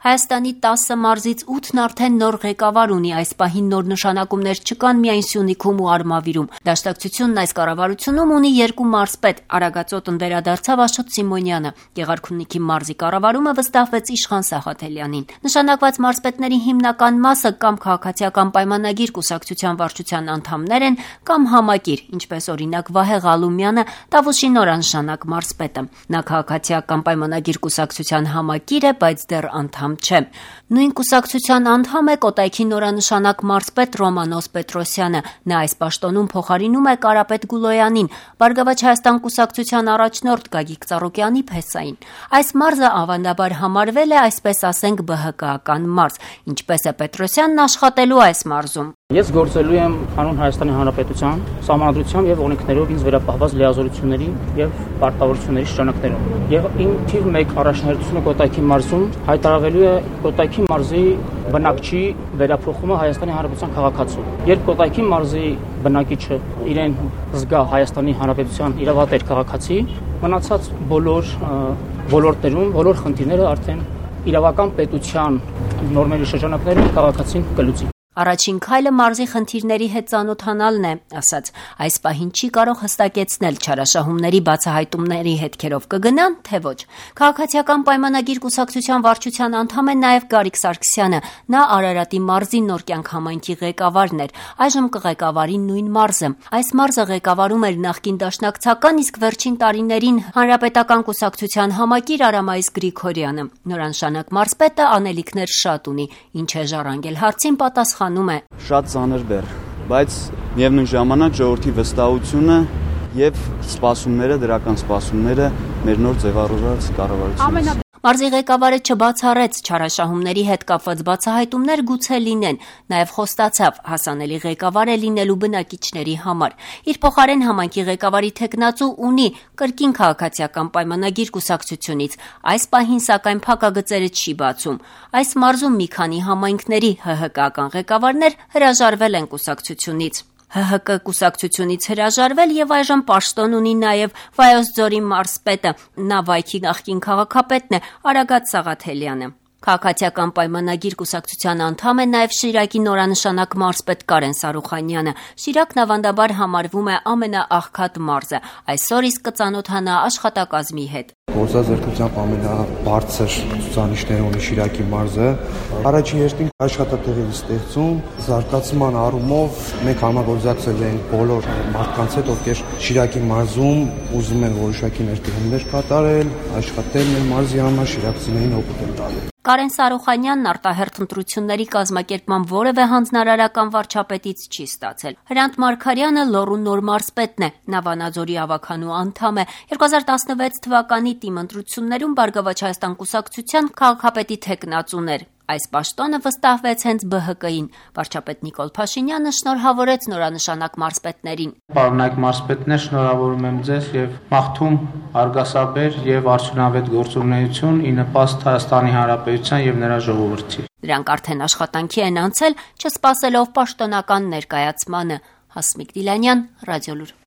Հայաստանի 10 մարզից 8-ն արդեն նոր ղեկավար ունի, այս պահին նոր նշանակումներ չկան միայն Սյունիքում ու Արմավիրում։ Դաշնակցությունն այս կառավարությունում ունի 2 մարզպետ, Արագածոտն վերադարձավ Աշոտ Սիմոնյանը, Գեղարքունիքի մարզի կառավարումը վստահվեց Իշխան Սաղաթելյանին։ Նշանակված մարզպետների հիմնական մասը կամ քաղաքացիական պայմանագիր կուսակցության վարչության անդամներ են, կամ համակիր, ինչպես օրինակ Վահե Ղալումյանը, Տավուշի նորանշանակ մարզպետը։ Նա քաղաքացիական պայմանագիր կուսակցության համակիր է, բայց դեռ անդամ չէ։ Նույն կուսակցության անդամ է Կոտայքի նորանշանակ մարզպետ Ռոմանոս Պետրոսյանը։ Նա այս պաշտոնում փոխարինում է Կարապետ Գուլոյանին, Բարգավաճ Հայաստան կուսակցության առաջնորդ Գագիկ Ծառուկյանի փեսային։ Այս մարզը ավանդաբար համարվել է, այսպես ասենք, ԲՀԿ-ական մարզ։ Ինչպես է Պետրոսյանն աշխատելու այս մարզում։ Ես գործելու եմ հանուն Հայաստանի Հանրապետության սահմանադրությամբ եւ օրենքներով ինձ վերապահված լիազորությունների եւ պարտավորությունների շրջանակներում։ Եվ իմ թիվ 1 առաջնահերթությունը Կոտայքի մարզում հայտարարվելու է Կոտայքի մարզի բնակչի վերափոխումը Հայաստանի Հանրապետության քաղաքացու։ Երբ Կոտայքի մարզի բնակիչը իրեն զգա Հայաստանի Հանրապետության իրավատեր քաղաքացի, մնացած բոլոր ոլորտներում, բոլոր խնդիրները արդեն իրավական պետության նորմերի շրջանակներում քաղաքացին կլուծի։ Առաջին քայլը մարզի խնդիրների հետ ծանոթանալն է, ասաց։ Այս պահին չի կարող հստակեցնել չարաշահումների բացահայտումների հետքերով կգնան, թե ոչ։ Քաղաքացիական պայմանագիր կուսակցության վարչության անդամ է նաև Գարիկ Սարգսյանը։ Նա Արարատի մարզի նոր կյանք համայնքի ղեկավարն էր, այժմ կղեկավարի նույն մարզը։ Այս մարզը ղեկավարում էր նախկին դաշնակցական, իսկ վերջին տարիներին հանրապետական կուսակցության համակիր Արամայիս Գրիգորյանը։ Նորանշանակ մարզպետը անելիքներ շատ ունի, ինչ է ժառանգել հարցին պատասխան Շատ ծանր բեռ, բայց միևնույն ժամանակ ժողովրդի վստահությունը եւ սպասումները, դրական սպասումները մեր նոր ձևավորած կառավարությունից։ Մարզի ղեկավարը չբացառեց չարաշահումների հետ կապված բացահայտումներ գուցե լինեն, նաև խոստացավ հասանելի ղեկավար է լինելու բնակիչների համար։ Իր փոխարեն համայնքի ղեկավարի թեկնածու ունի կրկին քաղաքացիական պայմանագիր կուսակցությունից։ Այս պահին սակայն փակագծերը չի բացում։ Այս մարզում մի քանի համայնքների ՀՀԿ-ական ղեկավարներ հրաժարվել են կուսակցությունից։ ՀՀԿ կուսակցությունից հրաժարվել եւ այժմ պաշտոն ունի նաեւ Վայոց ձորի մարզպետը, նա Վայքի նախկին քաղաքապետն է Արագած Սաղաթելյանը։ Քաղաքացիական պայմանագիր կուսակցության անդամ է նաև Շիրակի նորանշանակ մարզպետ Կարեն Սարուխանյանը։ Շիրակն ավանդաբար համարվում է ամենաաղքատ մարզը, այսօր իսկ կծանոթանա աշխատակազմի հետ։ Գործազրկությամբ ամենաբարձր ցուցանիշները ունի Շիրակի մարզը։ Առաջին հերթին աշխատատեղերի ստեղծում, զարգացման առումով մենք համագործակցել ենք բոլոր մարդկանց հետ, ովքեր Շիրակի մարզում ուզում են որոշակի ներդրումներ կատարել, աշխատել մեր մարզի համար, շիրակցիներին օգուտ տալ։ Կարեն Սարուխանյանն արտահերթ ընտրությունների կազմակերպման որևէ հանձնարարական վարչապետից չի ստացել։ Հրանտ Մարգարյանը Լոռու նոր մարզպետն է, նա Վանաձորի ավականու անդամ է։ 2016 թվականի թիմ ընտրություններում Բարգավաճ Հայաստան կուսակցության քաղաքապետի թեկնածուն էր։ Այս պաշտոնը վստահվեց հենց ԲՀԿ-ին։ Վարչապետ Նիկոլ Փաշինյանը շնորհավորեց նորանշանակ մարզպետներին։ Պարոնայք մարզպետներ, շնորհավորում եմ ձեզ եւ մաղթում արգասաբեր եւ արդյունավետ գործունեություն ի նպաստ Հայաստանի Հանրապետության եւ նրա ժողովրդի։ Դրանք արդեն աշխատանքի են անցել, չսպասելով պաշտոնական ներկայացմանը։ Հասմիկ Դիլանյան, Ռադիոլուր։